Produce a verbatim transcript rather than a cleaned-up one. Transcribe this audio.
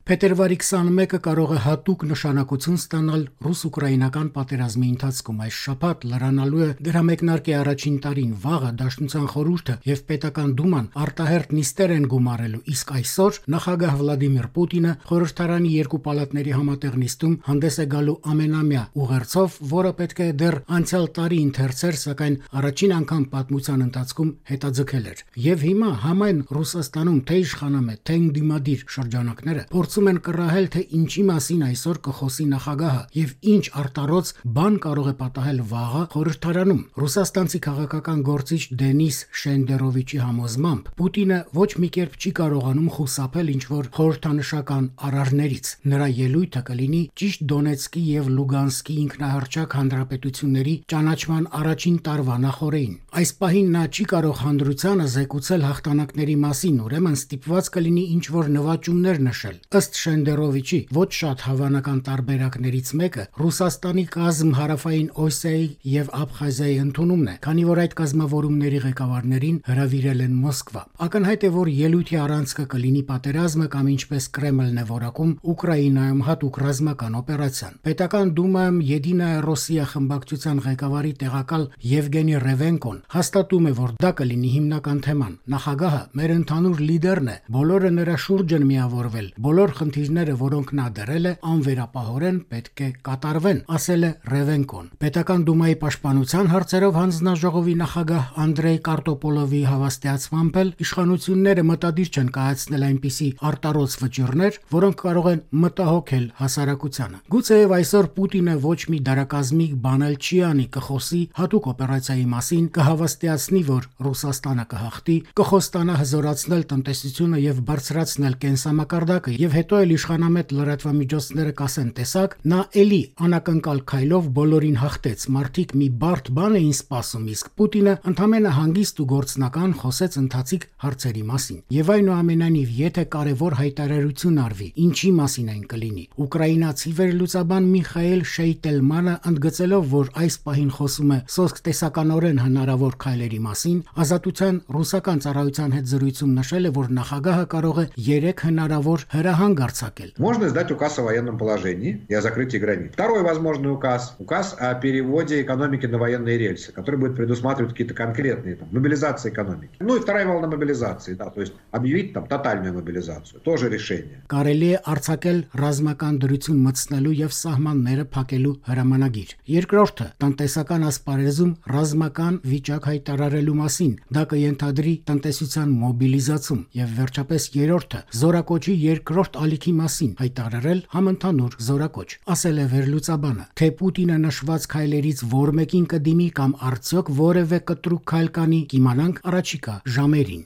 Փետրվարի քսանմեկը կարող է հատուկ նշանակություն ստանալ ռուս-ուկրաինական պատերազմի ընթացքում։ Այս շաբաթ լրանալու է դրա մեկնարկի առաջին տարին։ Վաղը Դաշնության խորհուրդը եւ պետական դուման արտահերթ նիստեր են գումարելու, իսկ այսօր նախագահ Վլադիմիր Պուտինը խորհրդարանի երկու պալատների համատեղ նիստում հանդես է գալու ամենամյա ուղերձով, որը պետք է դեռ անցյալ տարի ընթերցեր, սակայն առաջին անգամ պատմության ընթացքում հետաձգել էր։ Եվ հիմա համայն Ռուսաստանում թե իշխանամետ, թե ընդդիմադիր շրջանակները փորձում են կռահել, թե ինչի մասին այսօր կխոսի նախագահը եւ ինչ արտառոց բան կարող է պատահել վաղը խորհրդարանում։ Ռուսաստանցի քաղաքական գործիչ Դենիս Շենդերովիչի համոզմամբ Պուտինը ոչ մի կերպ չի կարողանում խուսափել ինչ-որ խորհրդանշական արարներից։ Նրա ելույթը կլինի ճիշտ Դոնեցկի եւ Լուգանսկի ինքնահռչակ հանրապետությունների ճանաչման առաջին տարվա նախօրեին։ Այս պահին նա չի կարող հանրությանը զեկուցել հաղթանակների մասին, ուրեմն ստիպված կլինի ինչ-որ նվաճումներ նշել։ Ըստ Շենդերովիչի ոչ շատ հավանական տարբերակներից մեկը Ռուսաստանի կազմ Հարավային Օսիայի եւ Աբխազիայի ընդունումն է, քանի որ այդ կազմավորումների ղեկավարներին հրավիրել են Մոսկվա։ Ակնհայտ է, որ ելույթի առանցքը կլինի պատերազմը կամ ինչպես Կրեմլն է որակում Ուկրաինայում հատուկ ռազմական օպերացիան։ Պետական դումայում Եդինայա Ռոսիա խմբակցության ղեկավարի տեղակալ Եվգենի Ռևենկոն հաստատում է, որ դա կլինի հիմնական թեման։ Նախագահը մեր ընդհանուր լիդերն է, բոլորը նրա շուրջ են միավորվել, բոլոր խնդիրները, որոնք նա դրել է, անվերապահորեն պետք է կատարվեն, ասել է Ռևենկոն։ Պետական դումայի պաշտպանության հարցերով հանձնաժողովի նախագահ Անդրեյ Կարտոպոլովի հավաստիացմամբ էլ իշխանությունները մտադիր չեն կայացնել այնպիսի արտառոց վճիռներ, որոնք կարող են մտահոգել հասարակությանը։ Գուցեև այսօր Պուտինը ոչ մի դարակազմիկ բան էլ չի անի, կխոսի հատուկ օպերացիայի մասին, կհավաստիացնի, որ Ռուսաստանը կհաղթի, կխոստանա հզորացնել տնտեսությունը եւ բարձրացնել կենսամակարդակը, եւ հետո էլ իշխանամետ լրատվամիջոցները կասեն, տեսակ, նա էլի անակնկալ քայլով բոլորին հաղթեց, մարդիկ մի բարդ բան էին սպասում, իսկ Պուտինը ընդամենը հանգիստ ու գործնական խոսեց ընթացիկ հարցերի մասին։ Եվ այնուամենայնիվ, եթե կարևոր հայտարարություն արվի, ինչի մասին այն կլինի, ուկրաինացի վերլուծաբան Միխայել Շեյտելմանը ընդգծելով, որ այս պահին խոսում է սոսկ տեսականորեն հնարավոր քայլերի մասին, Ազատության ռուսական ծառայության հետ զրույցում նշել է, որ նախագահը կարող է երեք հնարավոր հրահանգ արձակել։ Можно издать указ о военном положении и о закрытии границ. Второй возможный указ, указ о переводе экономики на военные рельсы, который будет предусматривать какие-то конкретные там, мобилизации экономики. Ну и вторая волна мобилизации, да, то есть объявить там тотальную мобилизацию, тоже решение. Կարելի է արձակել ռազմական դրություն մտցնելու եւ սահմանները փակելու հրամանագիր։ Երկրորդը տնտեսական ասպարեզում ռազմական վիճակ հայտարարելու մասին, դա կենթադրի տնտեսության մոբիլիզացում, եւ վերջապես երրորդը զորակոչի երկրորդ ալիքի մասին հայտարարել համընդհանուր զորակոչ, ասել է վերլուծաբանը։ Թե Պուտինը նշված քայլերից որ մեկին կդիմի կամ արդյոք որևէ կտրուկ քայլ կանի, կիմանանք առաջիկա ժամերին։